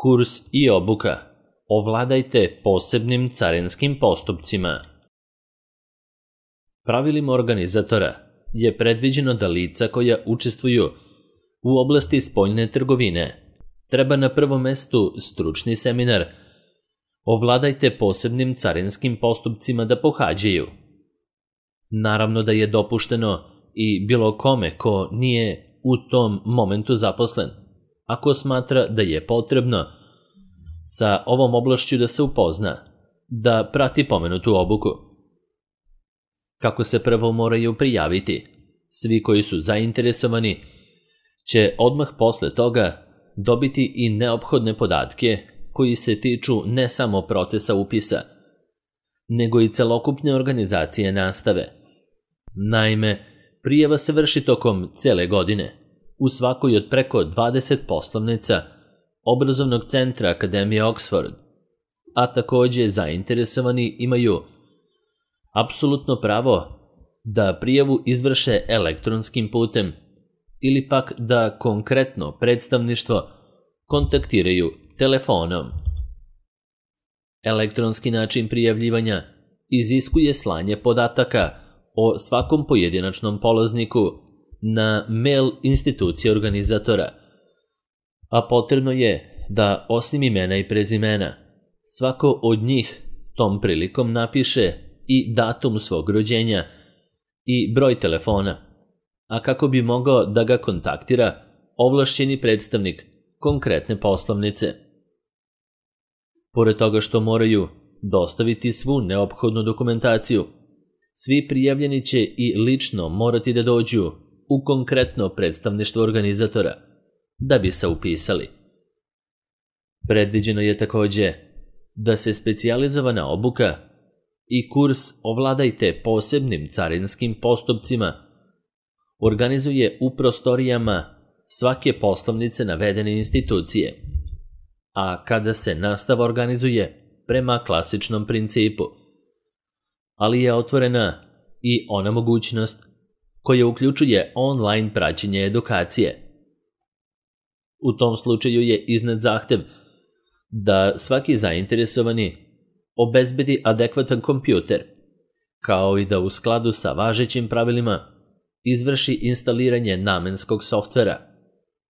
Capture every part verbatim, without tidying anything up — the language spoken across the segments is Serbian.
Kurs i obuka. Ovladajte posebnim carinskim postupcima. Pravilima organizatora je predviđeno da lica koja učestvuju u oblasti spoljne trgovine treba na prvom mestu stručni seminar Ovladajte posebnim carinskim postupcima da pohađaju. Naravno da je dopušteno i bilo kome ko nije u tom momentu zaposlen, ako smatra da je potrebno sa ovom oblašću da se upozna, da prati pomenutu obuku. Kako se prvo moraju prijaviti, svi koji su zainteresovani će odmah posle toga dobiti i neophodne podatke koji se tiču ne samo procesa upisa, nego i celokupne organizacije nastave. Naime, prijava se vrši tokom cele godine u svakoj od preko dvadeset poslovnica obrazovnog centra Akademije Oxford, a takođe zainteresovani imaju apsolutno pravo da prijavu izvrše elektronskim putem ili pak da konkretno predstavništvo kontaktiraju telefonom. Elektronski način prijavljivanja iziskuje slanje podataka o svakom pojedinačnom polazniku na mail institucije organizatora, a potrebno je da osim imena i prezimena svako od njih tom prilikom napiše i datum svog rođenja i broj telefona, a kako bi mogao da ga kontaktira ovlašćeni predstavnik konkretne poslovnice. Pored toga što moraju dostaviti svu neophodnu dokumentaciju, svi prijavljeni će i lično morati da dođu u konkretno predstavništvo organizatora da bi se upisali. Predviđeno je takođe da se specijalizovana obuka i kurs Ovladajte posebnim carinskim postupcima organizuje u prostorijama svake poslovnice navedene institucije, a kada se nastava organizuje prema klasičnom principu, ali je otvorena i ona mogućnost koja uključuje online praćenje edukacije. U tom slučaju je iznet zahtev da svaki zainteresovani obezbedi adekvatan kompjuter, kao i da u skladu sa važećim pravilima izvrši instaliranje namenskog softvera,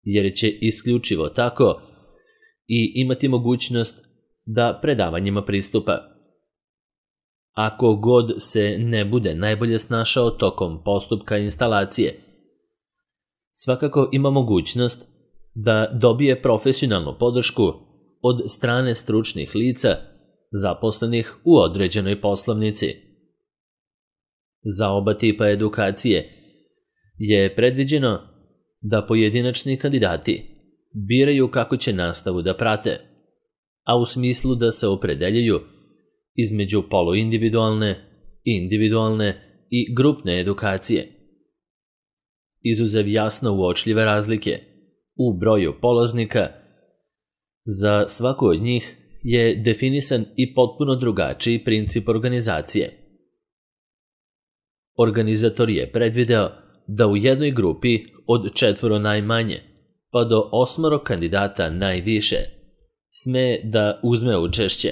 jer će isključivo tako i imati mogućnost da predavanjima pristupa. Ako god se ne bude najbolje snašao tokom postupka instalacije, svakako ima mogućnost da dobije profesionalnu podršku od strane stručnih lica zaposlenih u određenoj poslovnici. Za oba tipa edukacije je predviđeno da pojedinačni kandidati biraju kako će nastavu da prate, a u smislu da se opredeljuju između poluindividualne, individualne i grupne edukacije. Izuzev jasno uočljive razlike u broju polaznika, za svaku od njih je definisan i potpuno drugačiji princip organizacije. Organizator je predvideo da u jednoj grupi od četvoro najmanje pa do osmoro kandidata najviše sme da uzme učešće,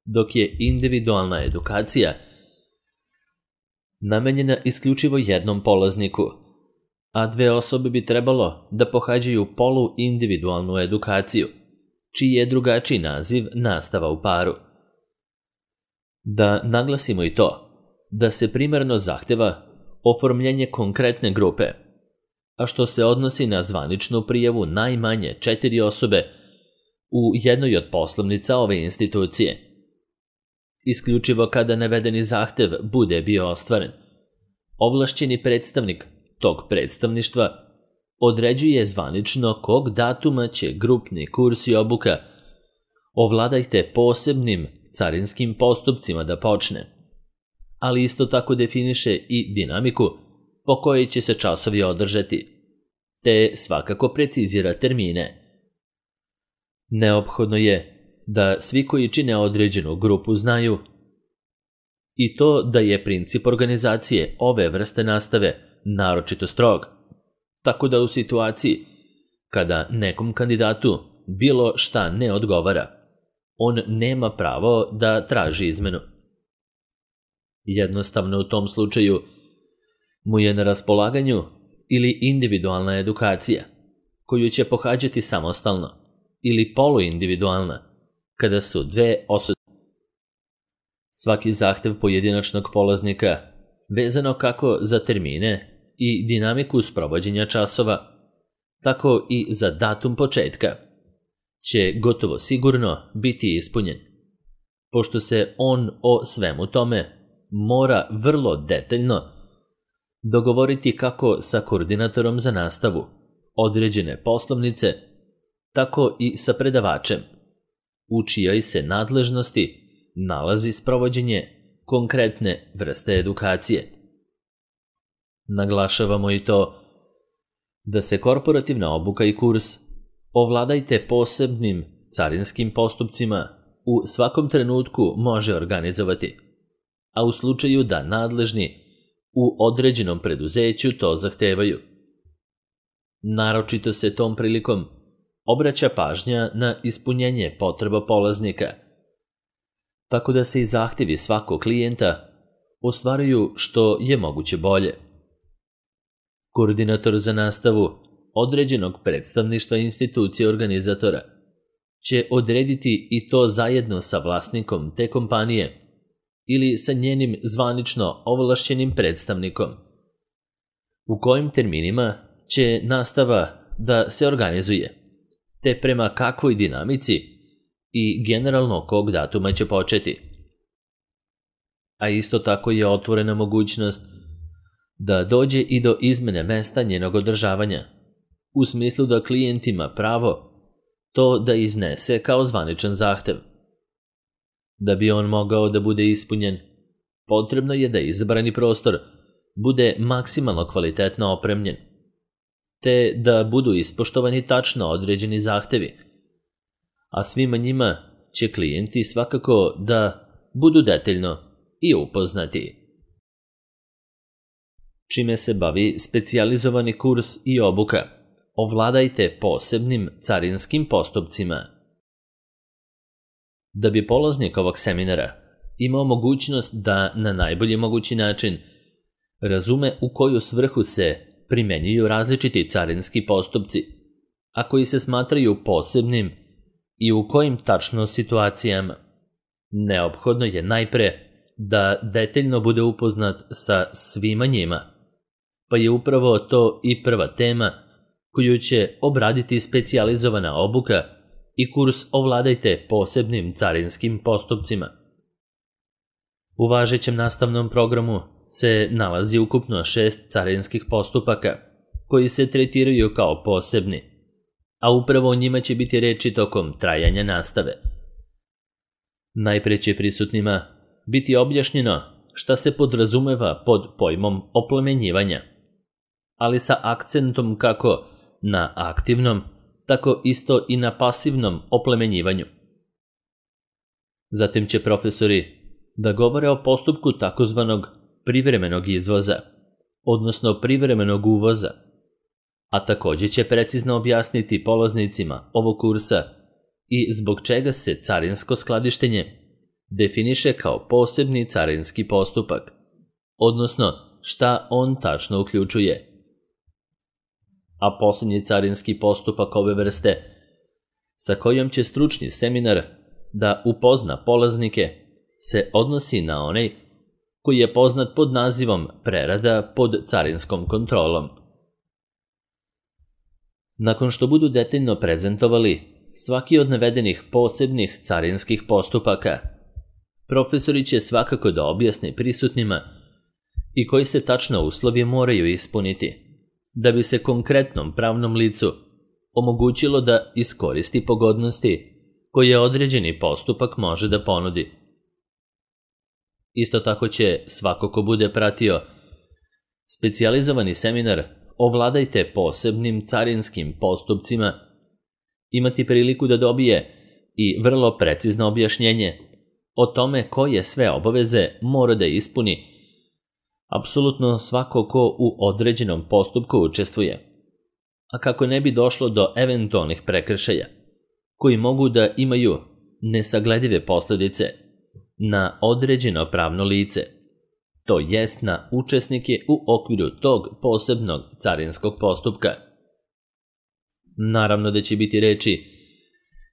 dok je individualna edukacija namenjena isključivo jednom polazniku, a dve osobe bi trebalo da pohađaju poluindividualnu edukaciju, čiji je drugačiji naziv nastava u paru. Da naglasimo i to da se primarno zahteva oformljenje konkretne grupe, a što se odnosi na zvaničnu prijavu najmanje četiri osobe u jednoj od poslovnica ove institucije. Isključivo kada navedeni zahtev bude bio ostvaren, ovlašćeni predstavnik tog predstavništva određuje zvanično kog datuma će grupni kurs i obuka Ovladajte posebnim carinskim postupcima da počne, ali isto tako definiše i dinamiku po kojoj će se časovi održati, te svakako precizira termine. Neophodno je da svi koji čine određenu grupu znaju i to da je princip organizacije ove vrste nastave naročito strog, tako da u situaciji kada nekom kandidatu bilo šta ne odgovara, on nema pravo da traži izmenu. Jednostavno u tom slučaju mu je na raspolaganju ili individualna edukacija, koju će pohađati samostalno, ili poluindividualna, kada su dve osobe. Svaki zahtev pojedinačnog polaznika, vezano kako za termine i dinamiku sprovođenja časova, tako i za datum početka, će gotovo sigurno biti ispunjen, pošto se on o svemu tome mora vrlo detaljno dogovoriti kako sa koordinatorom za nastavu određene poslovnice, tako i sa predavačem, u čijoj se nadležnosti nalazi sprovođenje konkretne vrste edukacije. Naglašavamo i to da se korporativna obuka i kurs Ovladajte posebnim carinskim postupcima u svakom trenutku može organizovati, a u slučaju da nadležni u određenom preduzeću to zahtevaju. Naročito se tom prilikom obraća pažnja na ispunjenje potreba polaznika, tako da se i zahtjevi svakog klijenta ostvaruju što je moguće bolje. Koordinator za nastavu određenog predstavništva institucije organizatora će odrediti i to zajedno sa vlasnikom te kompanije ili sa njenim zvanično ovlašćenim predstavnikom, u kojim terminima će nastava da se organizuje, te prema kakvoj dinamici i generalno kog datuma će početi. A isto tako je otvorena mogućnost da dođe i do izmene mesta njenog održavanja, u smislu da klijent ima pravo to da iznese kao zvaničan zahtev. Da bi on mogao da bude ispunjen, potrebno je da izabrani prostor bude maksimalno kvalitetno opremljen, te da budu ispoštovani tačno određeni zahtevi, a svima njima će klijenti svakako da budu detaljno i upoznati. Čime se bavi specijalizovani kurs i obuka? Ovladajte posebnim carinskim postupcima. Da bi polaznik ovog seminara imao mogućnost da na najbolji mogući način razume u koju svrhu se primenjuju različiti carinski postupci, a koji se smatraju posebnim i u kojim tačno situacijama, neophodno je najpre da detaljno bude upoznat sa svima njima, pa je upravo to i prva tema koju će obraditi specijalizovana obuka i kurs Ovladajte posebnim carinskim postupcima. U važećem nastavnom programu se nalazi ukupno šest carinskih postupaka koji se tretiraju kao posebni, a upravo o njima će biti reči tokom trajanja nastave. Najpre će prisutnima biti objašnjeno šta se podrazumeva pod pojmom oplemenjivanja, ali sa akcentom kako na aktivnom, tako isto i na pasivnom oplemenjivanju. Zatim će profesori da govore o postupku takozvanog privremenog izvoza, odnosno privremenog uvoza, a također će precizno objasniti polaznicima ovog kursa i zbog čega se carinsko skladištenje definiše kao posebni carinski postupak, odnosno šta on tačno uključuje. A posljednji carinski postupak ove vrste, sa kojom će stručni seminar da upozna polaznike, se odnosi na onaj koji je poznat pod nazivom prerada pod carinskom kontrolom. Nakon što budu detaljno prezentovali svaki od navedenih posebnih carinskih postupaka, profesori će svakako da objasne prisutnima i koji se tačno uslovi moraju ispuniti, da bi se konkretnom pravnom licu omogućilo da iskoristi pogodnosti koje određeni postupak može da ponudi. Isto tako će svako ko bude pratio specijalizovani seminar Ovladajte posebnim carinskim postupcima imati priliku da dobije i vrlo precizno objašnjenje o tome koje sve obaveze mora da ispuni apsolutno svako ko u određenom postupku učestvuje, a kako ne bi došlo do eventualnih prekršaja, koji mogu da imaju nesagledive posljedice na određeno pravno lice, to jest na učesnike u okviru tog posebnog carinskog postupka. Naravno da će biti reči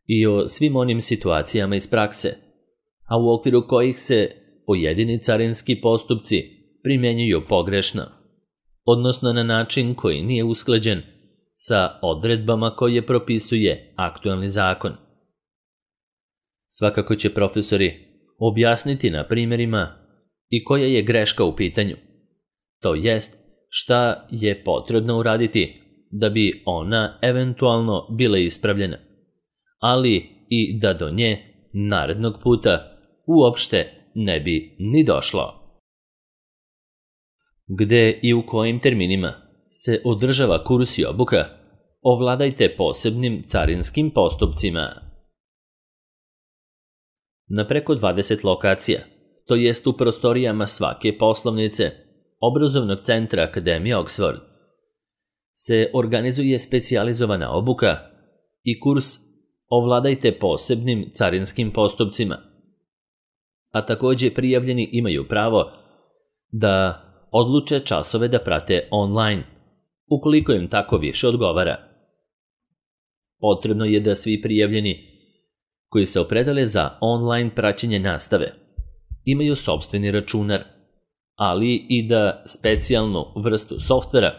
i o svim onim situacijama iz prakse, a u okviru kojih se pojedini carinski postupci primjenjuju pogrešno, odnosno na način koji nije usklađen sa odredbama koje propisuje aktualni zakon. Svakako će profesori objasniti na primjerima i koja je greška u pitanju, to jest šta je potrebno uraditi da bi ona eventualno bila ispravljena, ali i da do nje narednog puta uopšte ne bi ni došlo. Gde i u kojim terminima se održava kurs i obuka, ovladajte posebnim carinskim postupcima. Na preko dvadeset lokacija, to jest u prostorijama svake poslovnice obrazovnog centra Akademije Oxford, se organizuje specijalizovana obuka i kurs ovladajte posebnim carinskim postupcima. A također prijavljeni imaju pravo da odluče časove da prate online, ukoliko im tako više odgovara. Potrebno je da svi prijavljeni koji se opredele za online praćenje nastave imaju sopstveni računar, ali i da specijalnu vrstu softvera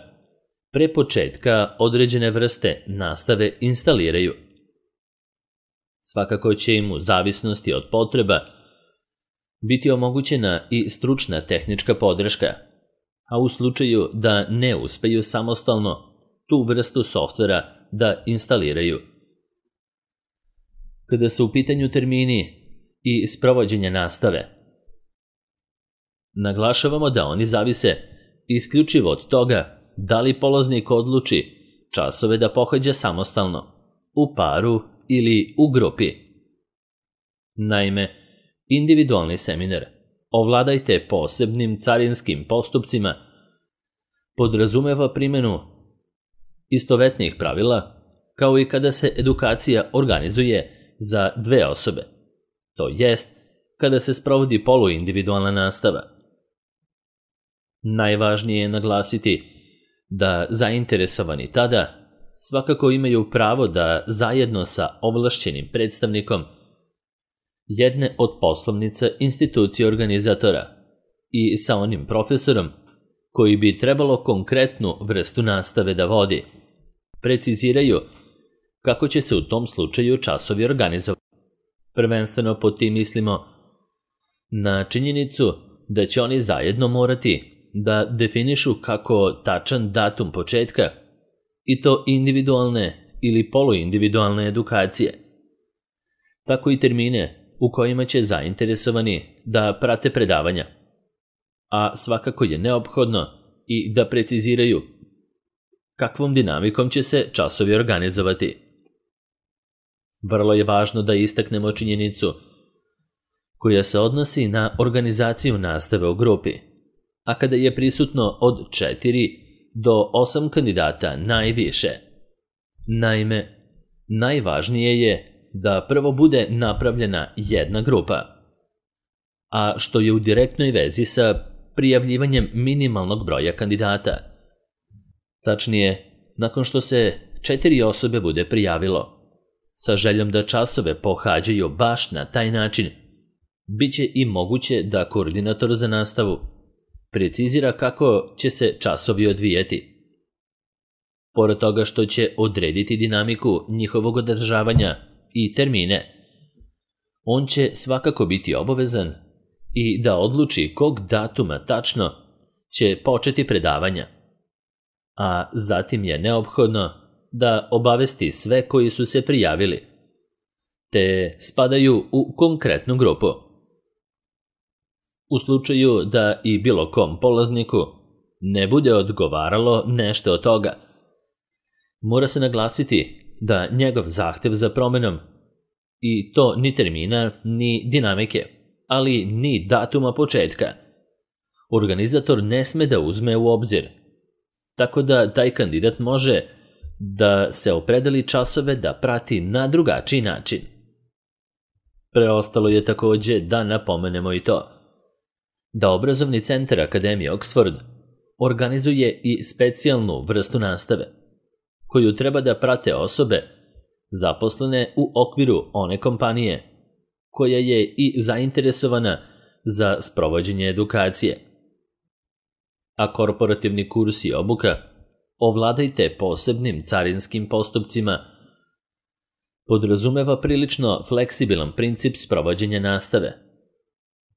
pre početka određene vrste nastave instaliraju. Svakako će im u zavisnosti od potreba biti omogućena i stručna tehnička podrška, a u slučaju da ne uspeju samostalno tu vrstu softvera da instaliraju. Kada su u pitanju termini i sprovođenje nastave, naglašavamo da oni zavise isključivo od toga da li polaznik odluči časove da pohađa samostalno, u paru ili u grupi. Naime, individualni seminar ovladajte posebnim carinskim postupcima podrazumeva primjenu istovetnih pravila, kao i kada se edukacija organizuje za dve osobe, to jest kada se sprovodi poluindividualna nastava. Najvažnije je naglasiti da zainteresovani tada svakako imaju pravo da zajedno sa ovlašćenim predstavnikom jedne od poslovnica institucije organizatora i sa onim profesorom koji bi trebalo konkretnu vrstu nastave da vodi, preciziraju kako će se u tom slučaju časovi organizovati. Prvenstveno pod tim mislimo na činjenicu da će oni zajedno morati da definišu kako tačan datum početka i to individualne ili poluindividualne edukacije, tako i termine u kojima će zainteresovani da prate predavanja, a svakako je neophodno i da preciziraju kakvom dinamikom će se časovi organizovati. Vrlo je važno da istaknemo činjenicu koja se odnosi na organizaciju nastave u grupi, a kada je prisutno od četiri do osam kandidata najviše. Naime, najvažnije je da prvo bude napravljena jedna grupa, a što je u direktnoj vezi sa prijavljivanjem minimalnog broja kandidata. Tačnije, nakon što se četiri osobe bude prijavilo, sa željom da časove pohađaju baš na taj način, bit će i moguće da koordinator za nastavu precizira kako će se časovi odvijeti. Pored toga što će odrediti dinamiku njihovog održavanja i termine, on će svakako biti obavezan i da odluči kog datuma tačno će početi predavanja, a zatim je neophodno da obavesti sve koji su se prijavili, te spadaju u konkretnu grupu. U slučaju da i bilo kom polazniku ne bude odgovaralo nešto od toga, mora se naglasiti da njegov zahtev za promjenom, i to ni termina ni dinamike, ali ni datuma početka, organizator ne sme da uzme u obzir, tako da taj kandidat može da se opredeli časove da prati na drugačiji način. Preostalo je takođe da napomenemo i to da obrazovni centar Akademije Oxford organizuje i specijalnu vrstu nastave, koju treba da prate osobe zaposlene u okviru one kompanije koja je i zainteresovana za sprovođenje edukacije. A korporativni kurs i obuka Ovladajte posebnim carinskim postupcima podrazumeva prilično fleksibilan princip sprovođenja nastave,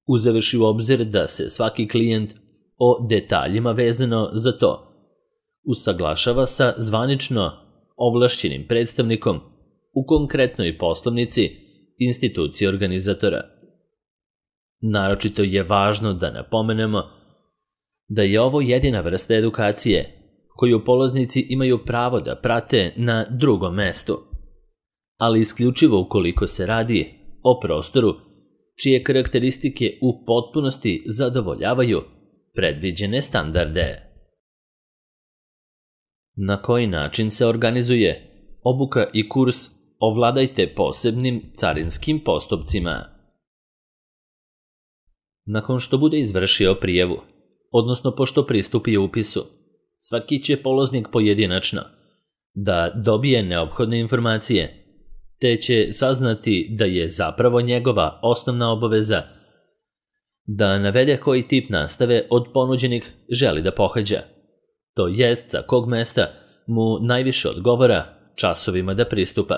uzevši u obzir da se svaki klijent o detaljima vezano za to usaglašava sa zvanično ovlašćenim predstavnikom u konkretnoj poslovnici institucije organizatora. Naročito je važno da napomenemo da je ovo jedina vrsta edukacije koju polaznici imaju pravo da prate na drugom mestu, ali isključivo ukoliko se radi o prostoru čije karakteristike u potpunosti zadovoljavaju predviđene standarde. Na koji način se organizuje obuka i kurs Ovladajte posebnim carinskim postupcima? Nakon što bude izvršio prijavu, odnosno pošto pristupi upisu, svaki će polaznik pojedinačno da dobije neophodne informacije, te će saznati da je zapravo njegova osnovna obaveza da navede koji tip nastave od ponuđenih želi da pohađa, to jest sa kog mesta mu najviše odgovara časovima da pristupa.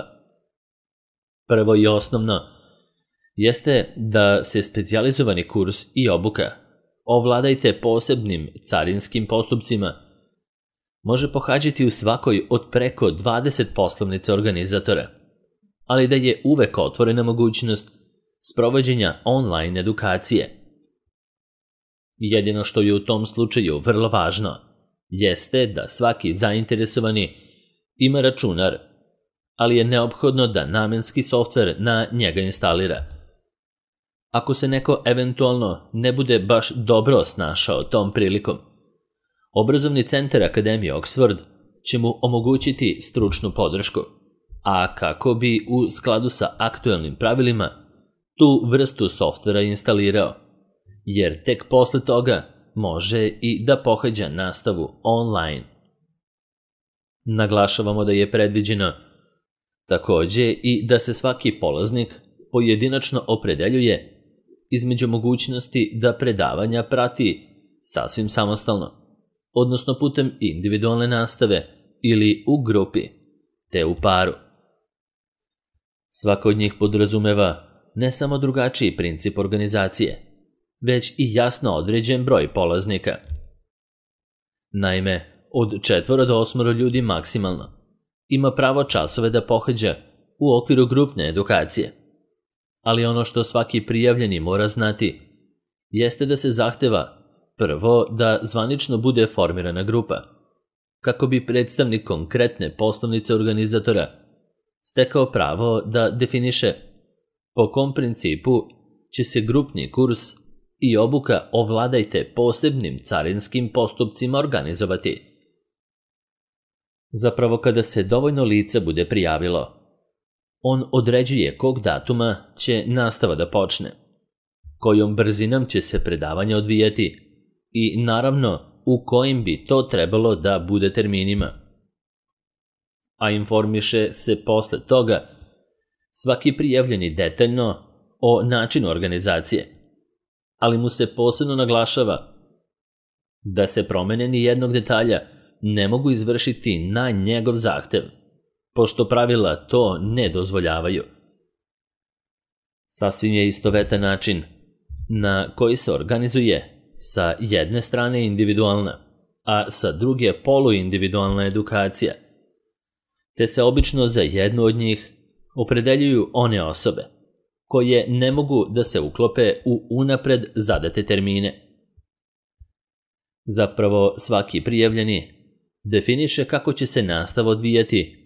Prvo i osnovno jeste da se specijalizovani kurs i obuka Ovladajte posebnim carinskim postupcima može pohađati u svakoj od preko dvadeset poslovnica organizatora, ali da je uvek otvorena mogućnost sprovođenja online edukacije. Jedino što je u tom slučaju vrlo važno jeste da svaki zainteresovani ima računar, ali je neophodno da namenski softver na njega instalira. Ako se neko eventualno ne bude baš dobro snašao tom prilikom, obrazovni centar Akademije Oxford će mu omogućiti stručnu podršku, a kako bi u skladu sa aktuelnim pravilima tu vrstu softvera instalirao, jer tek posle toga može i da pohađa nastavu online. Naglašavamo da je predviđeno takođe i da se svaki polaznik pojedinačno opredeljuje između mogućnosti da predavanja prati sasvim samostalno, odnosno putem individualne nastave ili u grupi, te u paru. Svaka od njih podrazumeva ne samo drugačiji princip organizacije, već i jasno određen broj polaznika. Naime, od četvoro do osmoro ljudi maksimalno ima pravo časove da pohađa u okviru grupne edukacije, ali ono što svaki prijavljeni mora znati jeste da se zahteva prvo da zvanično bude formirana grupa, kako bi predstavnik konkretne poslovnice organizatora stekao pravo da definiše po kom principu će se grupni kurs i obuka Ovladajte posebnim carinskim postupcima organizovati. Zapravo, kada se dovoljno lica bude prijavilo, on određuje kog datuma će nastava da počne, kojom brzinom će se predavanje odvijati i naravno u kojim bi to trebalo da bude terminima. A informiše se posle toga svaki prijavljeni detaljno o načinu organizacije, ali mu se posebno naglašava da se promene ni jednog detalja ne mogu izvršiti na njegov zahtev, pošto pravila to ne dozvoljavaju. Sasvim je istovetan način na koji se organizuje sa jedne strane individualna, a sa druge poluindividualna edukacija, te se obično za jednu od njih opredeljuju one osobe koje ne mogu da se uklope u unapred zadate termine. Zapravo, svaki prijavljeni definiše kako će se nastava odvijati,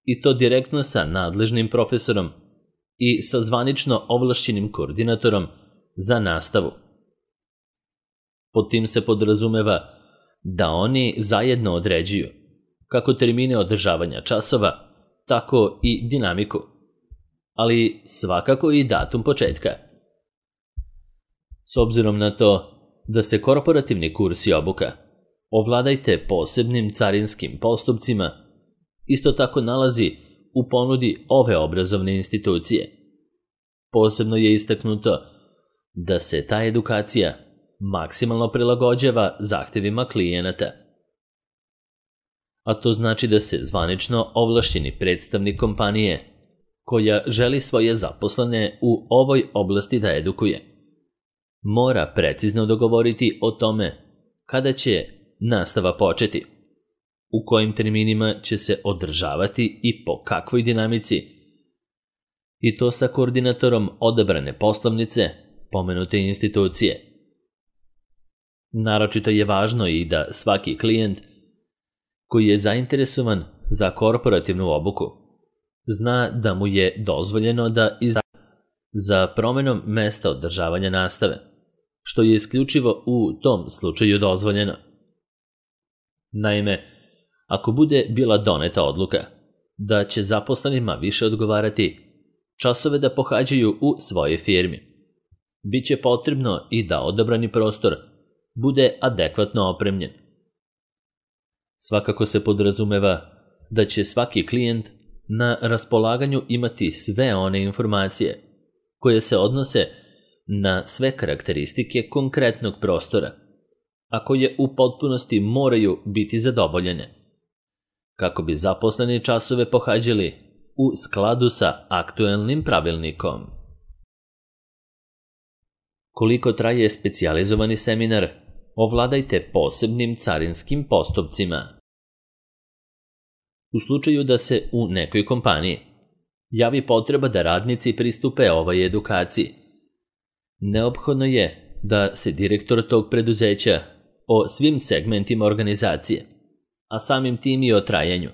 i to direktno sa nadležnim profesorom i sa zvanično ovlašćenim koordinatorom za nastavu. Pod tim se podrazumeva da oni zajedno određuju kako termine održavanja časova, tako i dinamiku, ali svakako i datum početka. S obzirom na to da se korporativni kurs i obuka Ovladajte posebnim carinskim postupcima isto tako nalazi u ponudi ove obrazovne institucije. Posebno je istaknuto da se ta edukacija maksimalno prilagođava zahtjevima klijenata. A to znači da se zvanično ovlašćeni predstavnik kompanije koja želi svoje zaposlene u ovoj oblasti da edukuje mora precizno dogovoriti o tome kada će nastava početi, u kojim terminima će se održavati i po kakvoj dinamici, i to sa koordinatorom odabrane poslovnice pomenute institucije. Naročito je važno i da svaki klijent koji je zainteresovan za korporativnu obuku zna da mu je dozvoljeno da izda za promjenom mesta održavanja nastave, što je isključivo u tom slučaju dozvoljeno. Naime, ako bude bila doneta odluka da će zaposlenima više odgovarati časove da pohađaju u svojoj firmi, bit će potrebno i da odabrani prostor bude adekvatno opremljen. Svakako se podrazumeva da će svaki klijent na raspolaganju imati sve one informacije koje se odnose na sve karakteristike konkretnog prostora, a koje u potpunosti moraju biti zadovoljene, kako bi zaposleni časove pohađali u skladu sa aktuelnim pravilnikom. Koliko traje specijalizovani seminar Ovladajte posebnim carinskim postupcima? U slučaju da se u nekoj kompaniji javi potreba da radnici pristupe ovoj edukaciji, neophodno je da se direktor tog preduzeća o svim segmentima organizacije, a samim tim i o trajanju,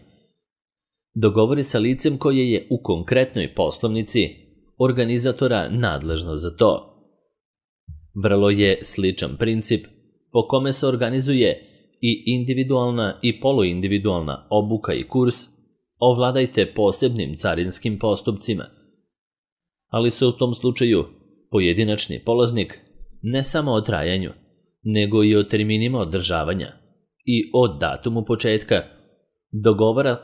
dogovori sa licem koje je u konkretnoj poslovnici organizatora nadležno za to. Vrlo je sličan princip po kome se organizuje i individualna i poluindividualna obuka i kurs Ovladajte posebnim carinskim postupcima, ali se u tom slučaju pojedinačni polaznik ne samo o trajanju, nego i o terminima održavanja i o datumu početka dogovara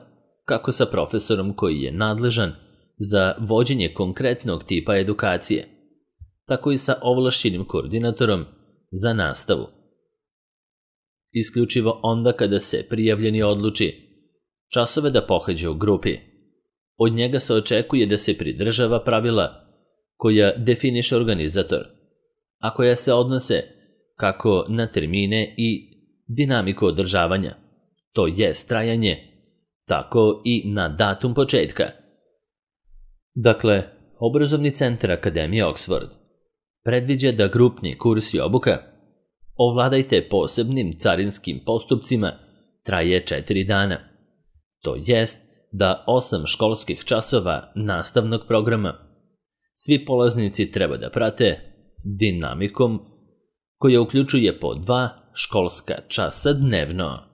kako sa profesorom koji je nadležan za vođenje konkretnog tipa edukacije, tako i sa ovlašćenim koordinatorom za nastavu. Isključivo onda kada se prijavljeni odluči časove da pohađa u grupi, od njega se očekuje da se pridržava pravila koja definiše organizator, a koja se odnose kako na termine i dinamiku održavanja, to jest trajanje, tako i na datum početka. Dakle, Obrazovni centar Akademije Oxford predviđa da grupni kurs i obuka Ovladajte posebnim carinskim postupcima traje četiri dana, to jest da osam školskih časova nastavnog programa svi polaznici treba da prate dinamikom koja uključuje po dva školska časa dnevno.